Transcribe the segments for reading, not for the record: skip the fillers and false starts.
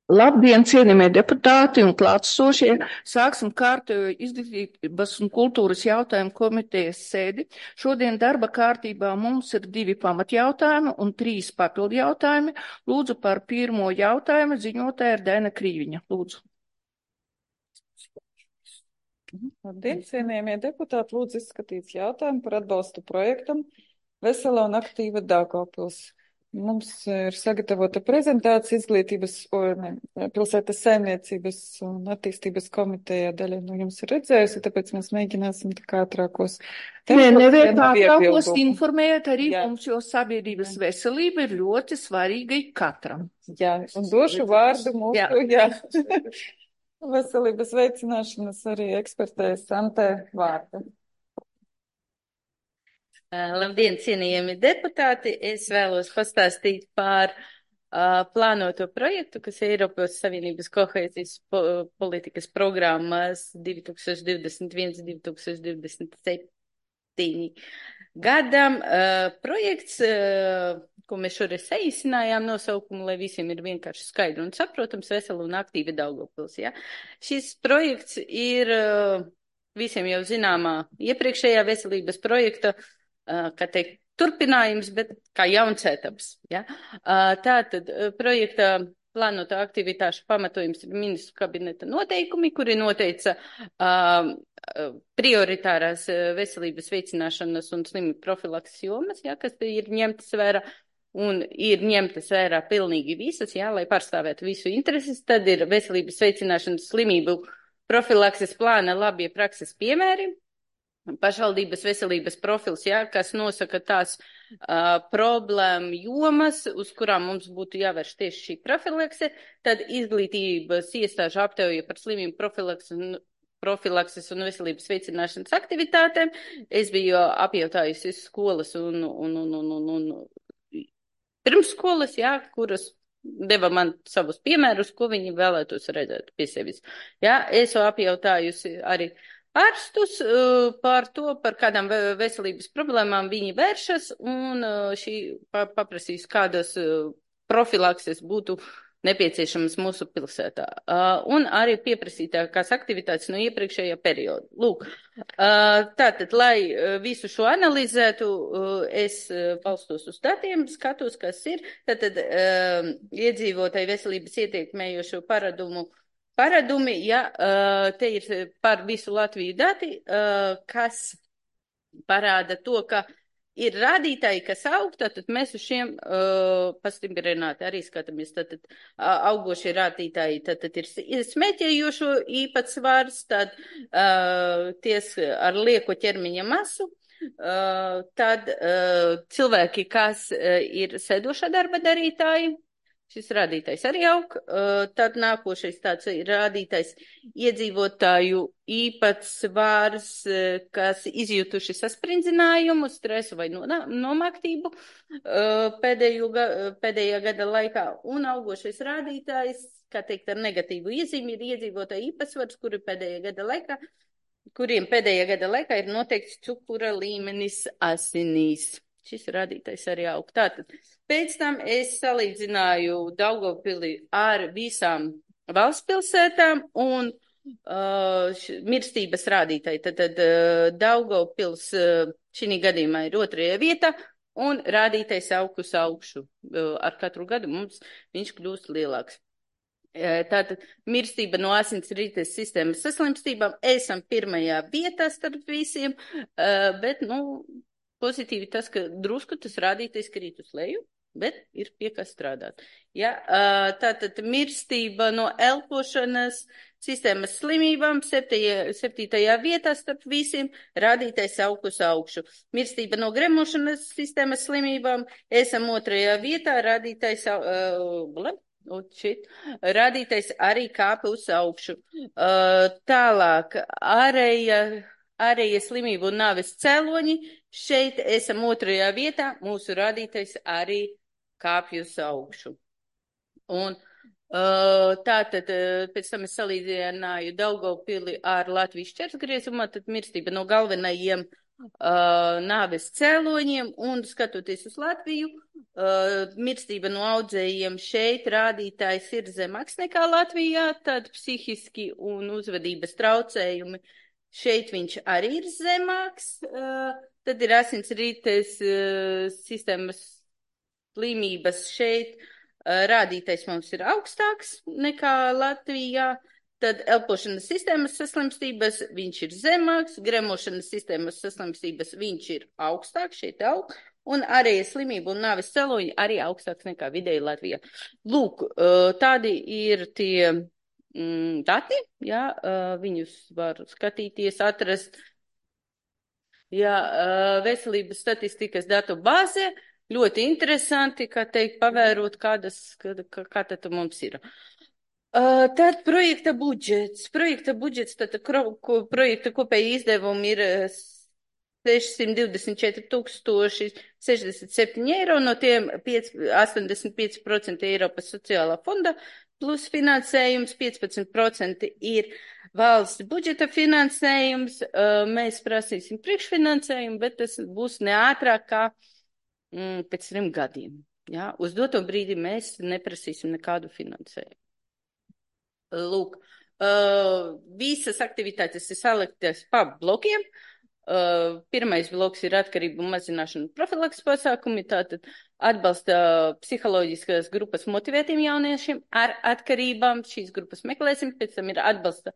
Labdien, cienījamie deputāti un klātsošie! Sāksim kārtējo izglītības un kultūras jautājumu komitejas sēdi. Šodien darba kārtībā mums ir 2 pamatjautājumi un 3 papildu jautājumi. Lūdzu par pirmo jautājumu ziņotāja ir Daina Krīviņa. Lūdzu. Labdien, cienījamie deputāti, lūdzu izskatīts jautājumu par atbalstu projektam Vesela un aktīva Daugavpils. Mums ir sagatavota prezentācija izglītības pilsētas saimniecības un attīstības komitejā. Daļa no jums ir redzējusi, tāpēc mēs mēģināsim tā kā ātrākos. Nevienkāršākos informēt arī mums, jo sabiedrības veselība ir ļoti svarīga katram. Jā, un došu vārdu mūsu, jā. Veselības veicināšanas arī ekspertē Santē vārdu. Labdien, cienījami deputāti! Es vēlos pastāstīt par plānoto projektu, kas ir Eiropas Savienības kohēzijas politikas programmas 2021-2027 gadam. Projekts, ko mēs šoreiz saīsinājām nosaukumu, lai visiem ir vienkārši skaidri un saprotams, Vesela un aktīva Daugavpils. Ja? Šis projekts ir visiem jau zināmā iepriekšējā veselības projekta, kā teikt, turpinājums, bet kā jauns etaps. Ja? Tātad projekta plānotā aktivitāšu pamatojums ir ministru kabineta noteikumi, kuri noteica prioritārās veselības veicināšanas un slimību profilakses jomas, ja, kas ir ņemtas vērā. Un ir ņemtas vērā pilnīgi visas, ja, lai pārstāvētu visu intereses. Tad ir veselības veicināšanas slimību profilakses plāna labie prakses piemēri. Pašvaldības veselības profils, ja, kas nosaka tās problēmu jomas, uz kurām mums būtu jāvērš tieši šī profilakse, tad izglītības iestāžu aptauja par slimību profilakses un veselības veicināšanas aktivitātēm. Es biju apjautājusi skolas un pirmsskolas, ja, kuras deva man savus piemērus, ko viņi vēlētos redzēt pie sevis. Ja, es apjautājusi arī ārstus par to, par kādām veselības problēmām viņi vēršas, un paprasīs, kādas profilakses būtu nepieciešamas mūsu pilsētā. Un arī pieprasītākās aktivitātes no iepriekšējā perioda. Lūk, tātad, lai visu šo analizētu, es balstos uz datiem, skatos, kas ir. Tātad, iedzīvotāju veselības ietekmējošo paradumi, ja, te ir par visu Latviju dati, kas parāda to, ka ir rādītāji, kas aug, tātad mēs uz šiem pastiprināti arī skatāmies. Tātad augošie rādītāji, tātad ir smēķējošo īpatsvars, tad ties ar lieko ķermeņa masu, tad cilvēki, kas ir sēdošā darba darītāji, šis rādītājs arī aug, tad nākošais tāds ir rādītājs iedzīvotāju īpatsvars, kas izjutuši sasprindzinājumu, stresu vai nomaktību pēdējā gada laikā, un augošais rādītājs, kā teikt, ar negatīvu iezīmi ir iedzīvotāju īpatsvars, kuriem pēdējā gada laikā ir noteikts cukura līmenis asinīs. Šis rādītājs arī aug. Tātad, pēc tam es salīdzināju Daugavpili ar visām valsts pilsētām un mirstības rādītāji. Tātad Daugavpils šī gadījumā ir 2. vietā un rādītājs aug uz augšu. Ar katru gadu mums viņš kļūst lielāks. Tātad mirstība no asinsrites sistēmas saslimstībām esam 1. vietā starp visiem, bet, pozitīvi tas, ka drusku tas rādītais krīt uz leju, bet ir pie kā strādāt. Ja, tātad mirstība no elpošanas sistēmas slimībām 7. vietā starp visiem, rādītais aug uz augšu. Mirstība no gremošanas sistēmas slimībām esam 2. vietā, rādītais arī kāpa uz augšu. Tālāk, ārējie slimību un nāves cēloņi, šeit esam 2. vietā, mūsu rādītais arī kāpj uz augšu. Un tātad pēc tam es salīdzināju Daugavpili ar Latvijas šķērsgriezumā, tad mirstība no galvenajiem nāves cēloņiem un skatoties uz Latviju, Mirstība no audzējiem šeit rādītājs ir zemāks nekā Latvijā, tad psihiski un uzvedības traucējumi šeit viņš arī ir zemāks. Tad ir asinsrites sistēmas slimības šeit rādītais mums ir augstāks nekā Latvijā. Tad elpošanas sistēmas saslimstības viņš ir zemāks, gremošanas sistēmas saslimstības viņš ir augstāks, šeit aug, un arī slimību un nāves cēloņi arī augstāks nekā vidēji Latvijā. Lūk, tādi ir tie dati, jā, viņus var skatīties, atrast, jā, veselības statistikas datu bāze, ļoti interesanti, kā teikt, pavērot, kā tad mums ir. Tad projekta budžets. Tad projekta kopēji izdevumi ir 624,067 eiro, no tiem 85% Eiropas sociālā fonda plus finansējums, 15% ir valsts budžeta finansējums. Mēs prasīsim priekšfinansējumu, bet tas būs neātrāk kā pēc 3 gadiem. Ja? Uz doto brīdi mēs neprasīsim nekādu finansējumu. Lūk, visas aktivitātes ir saliktas pa blokiem. Pirmais bloks ir atkarību mazināšana profilaks pasākumi, tātad atbalsta psiholoģiskās grupas motivētiem jauniešiem ar atkarībām. Šīs grupas meklēsim, pēc tam ir atbalsta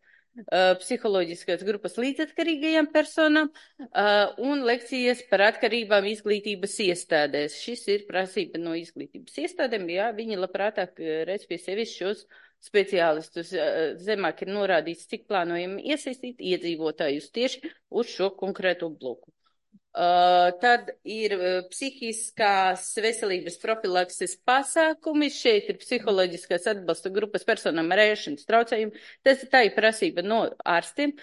psiholoģiskās grupas līdzatkarīgajām personām un lekcijas par atkarībām izglītības iestādēs. Šis ir prasība no izglītības iestādēm, jā, viņi labprātāk redz pie sevis šos speciālistus. Zemāk ir norādīts, cik plānojam iesaistīt iedzīvotājus tieši uz šo konkrēto bloku. Tad ir psihiskās veselības profilakses pasākumi. Šeit ir psiholoģiskās atbalsta grupas personām ar ēšanas traucējumu. Tā ir prasība no ārstiem.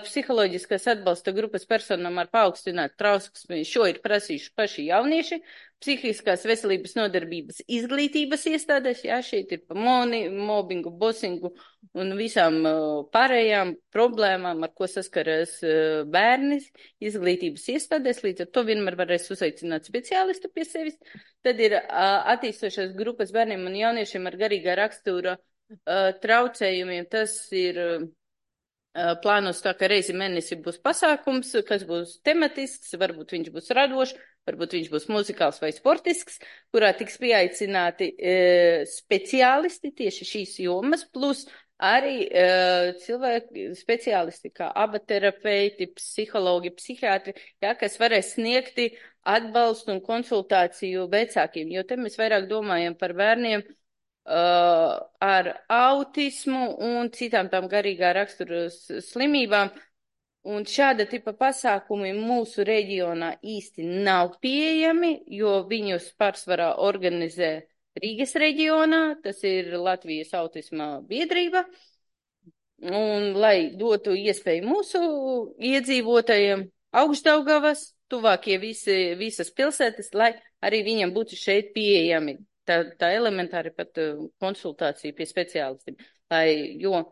Psiholoģiskās atbalsta grupas personām ar paaugstinātu trauksmi. Šo ir prasījuši paši jaunieši. Psihiskās veselības nodarbības izglītības iestādēs, jā, šeit ir pa mobbingu, bosingu un visām pārējām problēmām, ar ko saskaras bērni izglītības iestādēs, līdz ar to vienmēr varēs uzaicināt speciālistu pie sevis. Tad ir attīstošās grupas bērniem un jauniešiem ar garīgā rakstura traucējumiem. Tas ir plānos tā, ka reizi mēnesi būs pasākums, kas būs tematisks, varbūt viņš būs radošs, varbūt viņš būs muzikāls vai sportisks, kurā tiks pieaicināti speciālisti tieši šīs jomas, plus arī cilvēki speciālisti kā abaterapeiti, psihologi, psihiatri, jā, kas varēs sniegti atbalstu un konsultāciju vecākiem, jo te mēs vairāk domājam par bērniem ar autismu un citām tām garīgā rakstura slimībām. Un šāda tipa pasākumi mūsu reģionā īsti nav pieejami, jo viņus pārsvarā organizē Rīgas reģionā, tas ir Latvijas autisma biedrība. Un, lai dotu iespēju mūsu iedzīvotājiem Augšdaugavas, tuvākie visas pilsētas, lai arī viņam būtu šeit pieejami. Tā elementāri pat konsultācija pie speciālistiem, jo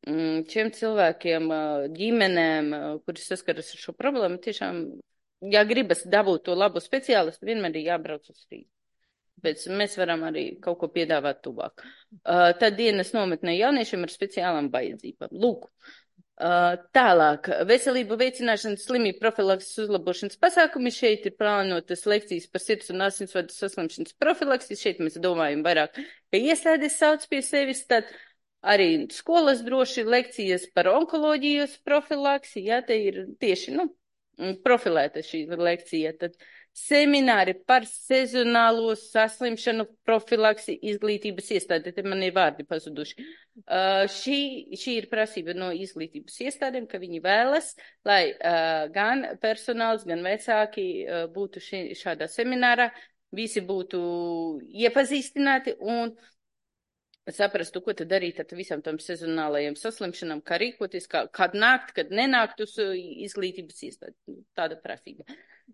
šiem cilvēkiem, ģimenēm, kuri saskaras ar šo problēmu, tiešām, ja gribas dabūt to labu speciālistu, vienmēr ir jābrauc uz Rīgu. Bet mēs varam arī kaut ko piedāvāt tuvāk. Tad dienas nometnē jauniešiem ar speciālām vajadzībām. Lūk, tālāk, veselību veicināšanas slimību profilakses uzlabošanas pasākumi. Šeit ir plānotas lekcijas par sirds un asinsvadu saslimšanas profilakses. Šeit mēs domājam vairāk, ka iestādes sauc pie sevis, tad arī skolas droši lekcijas par onkoloģijas profilaksi, jā, te ir tieši, profilēta šī lekcija, tad semināri par sezonālo saslimšanu profilaksi izglītības iestādi, te man ir vārdi pazuduši. Šī ir prasība no izglītības iestādēm, ka viņi vēlas, lai gan personāls, gan vecāki būtu šādā seminārā, visi būtu iepazīstināti un saprastu, ko tad darīt ar visam tam sezonālajiem saslimšanām, kā rīkoties, kad nākt, kad nenākt uz izglītības iestādi. Tāda prasība.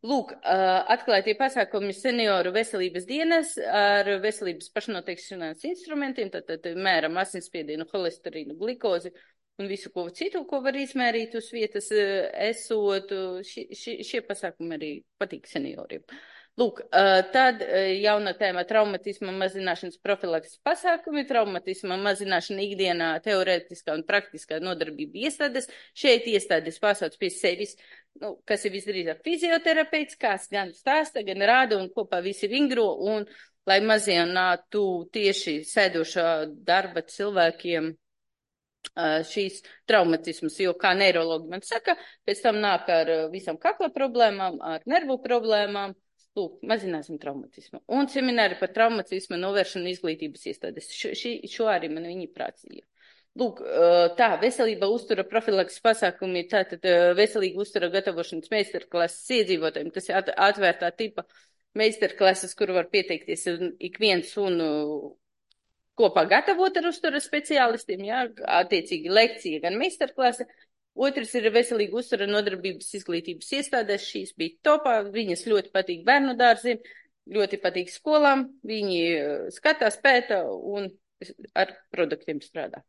Lūk, atklātie pasākumi senioru veselības dienas ar veselības pašnoteikšanās instrumentiem, tad mēram asinsspiedienu, holesterīnu, glikozi un visu ko citu, ko var izmērīt uz vietas esot. Šie pasākumi arī patīk senioriem. Lūk, tad jauna tēma traumatisma mazināšanas profilakses pasākumi, traumatisma mazināšana ikdienā, teorētiskā un praktiskā nodarbība iestādes. Šeit iestādes pasauc pie sevis, kas ir visdrīzāk fizioterapeits, kas gan stāsta, gan rāda un kopā visi vingro, un lai mazinātu tieši sēdošā darba cilvēkiem šīs traumatismas, jo, kā neirologi man saka, pēc tam nāk ar visam kakla problēmām, ar nervu problēmām. Lūk, mazināsim traumatismu. Un semināri par traumatismu novēršanu izglītības iestādes. Šo arī man viņi prācīja. Lūk, tā, veselība uztura profilakses pasākumi, tātad veselīga uztura gatavošanas meistarklases iedzīvotājiem. Tas ir atvērtā tipa meistarklases, kur var pieteikties ik viens un kopā gatavot ar uztura speciālistiem, jā, attiecīgi lekcija gan meistarklase. Otrs ir veselīga uztura nodarbības izglītības iestādēs. Šīs bija topā. Viņas ļoti patīk bērnu dārziem, ļoti patīk skolām. Viņi skatās, pēta un ar produktiem strādā.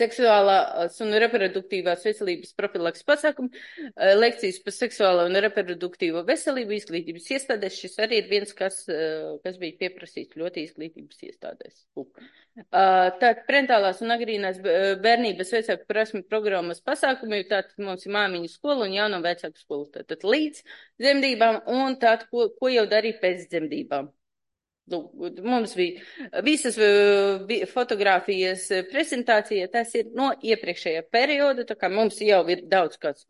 Seksuālās un reproduktīvās veselības profilaks pasākumi, lekcijas par seksuālo un reproduktīvo veselību izglītības iestādēs. Šis arī ir viens, kas bija pieprasīts ļoti izglītības iestādēs. Tātad parentālās un agrīnās bērnības vecāku prasmi programmas pasākumi, tātad mums ir māmiņu skola un jauno vecāku skolu, tātad līdz dzemdībām un tātad, ko jau darīja pēc dzemdībām. Mums bija visas fotogrāfijas prezentācija, tas ir no iepriekšējā perioda, tā kā mums jau ir daudz kāds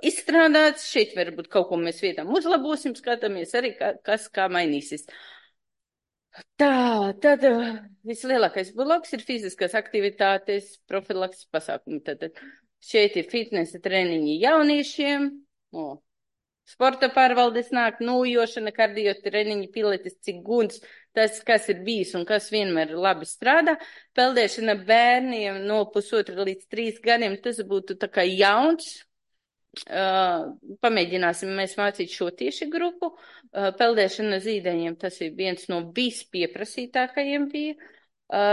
izstrādāts, šeit varbūt kaut ko mēs vietām uzlabosim, skatāmies arī, kas kā mainīsies. Tā, tad vislielākais bloks ir fiziskās aktivitātes, profilakses pasākumi. Tad šeit ir fitnesa treniņi jauniešiem, sporta pārvaldes nāk, nūjošana, kardio treniņi, pilates, ciguns, tas, kas ir bijis un kas vienmēr labi strādā. Peldēšana bērniem no 1,5 līdz 3 gadiem, tas būtu tā kā jauns. Pamēģināsim mēs mācīt šo tieši grupu. Peldēšana zīdaiņiem, tas ir viens no vispieprasītākajiem bija.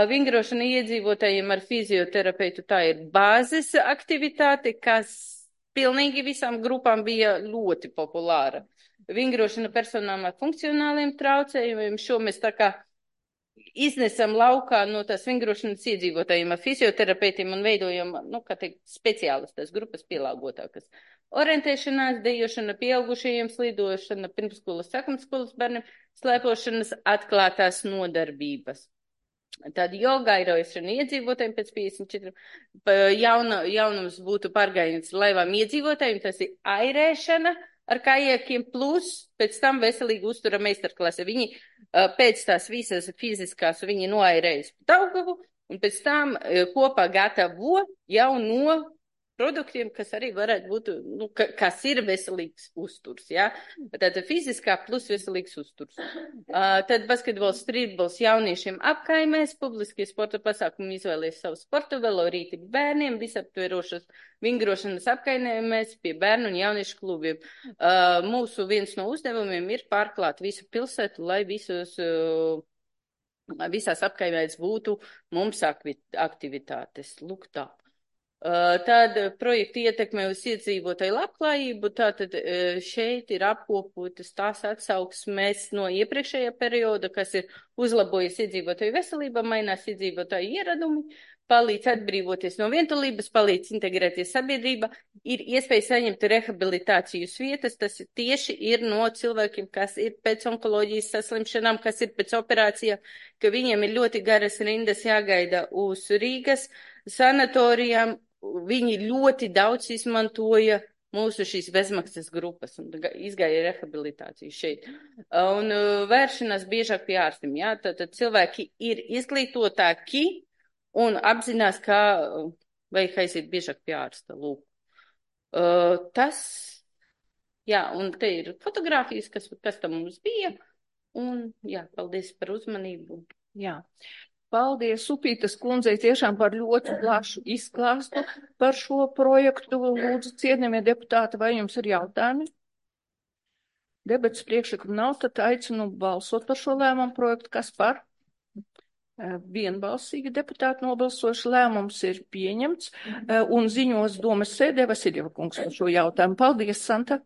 Vingrošana iedzīvotājiem ar fizioterapeitu, tā ir bāzes aktivitāte, kas pilnīgi visām grupām bija ļoti populāra. Vingrošana personām ar funkcionāliem traucējumiem, šo mēs tā kā iznesam laukā no tās vingrošanas iedzīvotājiem ar fizioterapeitiem un veidojam, kā teikt, speciālistas grupas pielāgotākas. Orientēšanās, dejošana pieaugušajiem, slidošana, pirmsskolas, sākumskolas bērniem, slēpošanas, atklātās nodarbības. Tad joga, airošana iedzīvotājiem pēc 54. Jaunums būtu pārgājiens laivām iedzīvotājiem, tas ir airēšana ar kajakiem plus pēc tam veselīgi uztura meistarklase. Viņi pēc tās visas fiziskās viņi noairējas Daugavu un pēc tam kopā gatavo jau no produktiem, kas arī varētu būt, kas ir veselīgs uzturs, jā. Tātad fiziskā plus veselīgs uzturs. Tad basketbols, strītbols jauniešiem apkaimēs, publiskie sporta pasākumi izvēlēs savu sportu, velorīti bērniem, visaptverošas vingrošanas apkaimēs pie bērnu un jauniešu klubiem. Mūsu viens no uzdevumiem ir pārklāt visu pilsētu, lai visās apkaimēs būtu mums aktivitātes. Lūk tā. Tad projekta ietekme uz iedzīvotāju labklājību, tātad šeit ir apkopotas tās atsauksmes no iepriekšējā perioda, kas ir uzlabojies iedzīvotāju veselība, mainās iedzīvotāju ieradumi, palīdz atbrīvoties no vientulības, palīdz integrēties sabiedrība, ir iespēja saņemt rehabilitācijas vietas, tas tieši ir no cilvēkiem, kas ir pēc onkoloģijas saslimšanām, kas ir pēc operācijām, ka viņiem ir ļoti garas rindas jāgaida uz Rīgas sanatorijām. Viņi ļoti daudz izmantoja mūsu šīs bezmaksas grupas un izgāja rehabilitāciju šeit. Un vēršanās biežāk pie ārstiem, jā, tad cilvēki ir izglītotāki un apzinās, kā vajag aiziet biežāk pie ārsta. Lūk. Tas, jā, un te ir fotogrāfijas, kas tam mums bija, un jā, paldies par uzmanību. Jā. Paldies, Upītas kundzei, tiešām par ļoti plašu izklāstu par šo projektu. Lūdzu, cienījamie deputāti, vai jums ir jautājumi? Debates priekšlikumu nav, tad aicinu balsot par šo lēmumu projektu. Kas par? Vienbalsīgi deputāti nobalsoši, lēmums ir pieņemts un ziņos domas sēdē Vasiljeva kungs par šo jautājumu. Paldies, Santa.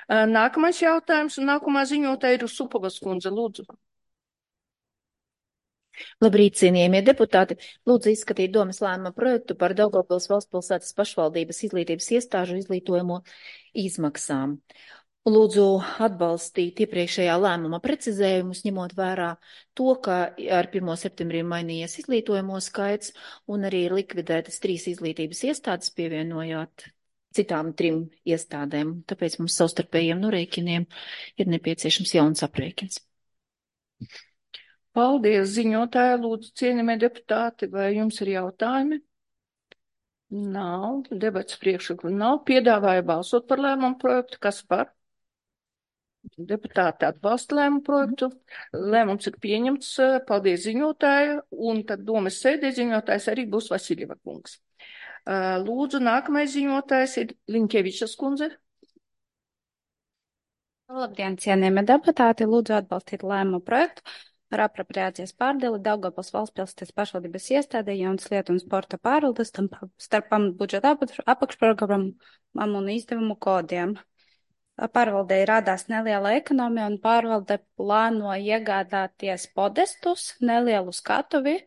Nākamais jautājums un nākamā ziņotāja ir Supovas kundze, lūdzu. Labrīt, cienījamie deputāti! Lūdzu izskatīt domas lēmuma projektu par Daugavpils valstspilsētas pašvaldības izglītības iestāžu izglītojumu izmaksām. Lūdzu atbalstīt iepriekšējā lēmuma precizējumus, ņemot vērā to, ka ar 1. septembrī mainījies izglītojumu skaits un arī ir likvidētas 3 izglītības iestādes, pievienojot citām 3 iestādēm. Tāpēc mums savstarpējiem norēķiniem ir nepieciešams jauns aprēķins. Paldies, ziņotāja, lūdzu, cienījamie deputāti, vai jums ir jautājumi? Nav, debats priekšlikumi nav, piedāvāja balsot par lēmumu projektu, kas par? Deputāti atbalsta lēmumu projektu, lēmums ir pieņemts, paldies ziņotāju, un tad domas sēdē ziņotājs arī būs Vasiljeva kungs. Lūdzu, nākamais ziņotājs ir Liņķevičas kundze. Labdien, cienījamie deputāti, lūdzu atbalstīt lēmumu projektu par apropriācijas pārdali Daugavpils valstspilsētas pašvaldības iestādē jaunas lietu un sporta pārvaldes starp budžeta apakšprogrammām un izdevumu kodiem. Pārvaldei radās neliela ekonomija un pārvalde plāno iegādāties podestus, nelielu skatuvi,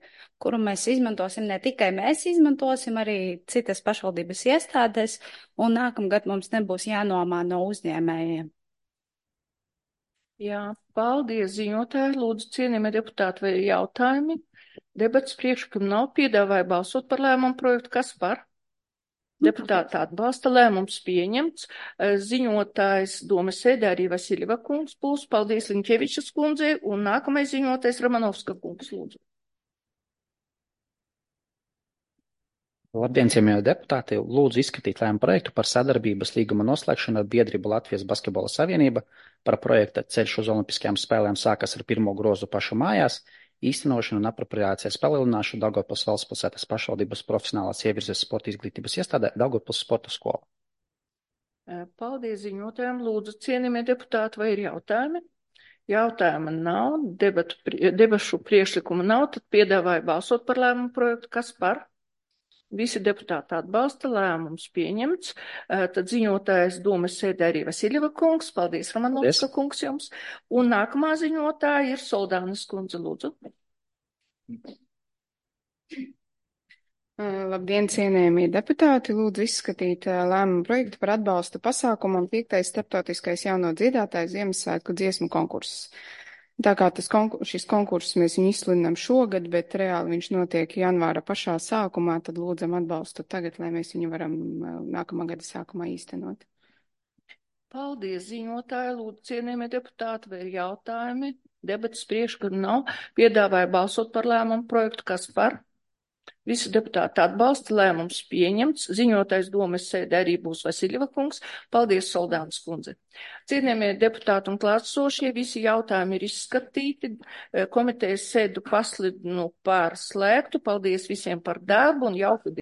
kuru mēs izmantosim, ne tikai mēs izmantosim, arī citas pašvaldības iestādēs, un nākamgad mums nebūs jānomā no uzņēmējiem. Jā, paldies ziņotāji, lūdzu cienījamie deputāti, vai ir jautājumi? Debats priekšlikumi nav, piedāvāja balsot par lēmumu projektu, kas par? Deputāti atbalsta, lēmums pieņemts, ziņotājs domas sēdē arī Vasiljeva kungs būs, paldies Liņķevičas kundzei, un nākamais ziņotājs Ramanovska kungs, lūdzu. Labdien, cienījamie deputāti! Lūdzu izskatīt lēmumu projektu par sadarbības līguma noslēgšanu ar biedrību Latvijas Basketbola Savienība par projekta Ceļš uz Olimpiskajām spēlēm sākas ar 1. grozu pašu mājās, īstenošanu un apropriācijas palielināšanu Daugavpils valstspilsētas pašvaldības profesionālās ievirzes sporta izglītības iestādē Daugavpils sporta skola. Paldies ziņotājiem, lūdzu cienījamie deputāti, vai ir jautājumi? Jautājuma nav, debašu priekšlikumu nav, tad piedāvāju balsot par lēmumu projektu, kas par? Visi deputāti atbalsta, lēmums pieņemts, tad ziņotājs domas sēdē arī Vasiljeva kungs, paldies Ramanovska kungs jums, un nākamā ziņotāja ir Soldānas kundze, lūdzu. Labdien, cienējamie deputāti, lūdzu izskatīt lēmumu projektu par atbalstu pasākumam 5. starptautiskais jauno dziedātāju Ziemassvētku dziesmu konkurss. Tā kā šis konkurss mēs viņu izsludinām šogad, bet reāli viņš notiek janvāra pašā sākumā, tad lūdzam atbalstu tagad, lai mēs viņu varam nākamā gada sākumā īstenot. Paldies, ziņotāji, lūdzu cienījamie deputāti, vai ir jautājumi? Debatas priekšlikumi nav, piedāvāja balsot par lēmumu projektu, kas par? Visi deputāti atbalsta, lēmums pieņemts, ziņotājs domas sēdē arī būs Vasiljeva kungs, paldies Soldānas kundze. Cienījamie deputāti un klātsošie, visi jautājumi ir izskatīti, komitejas sēdu paslidinu par slēgtu, paldies visiem par darbu un jauku dienu.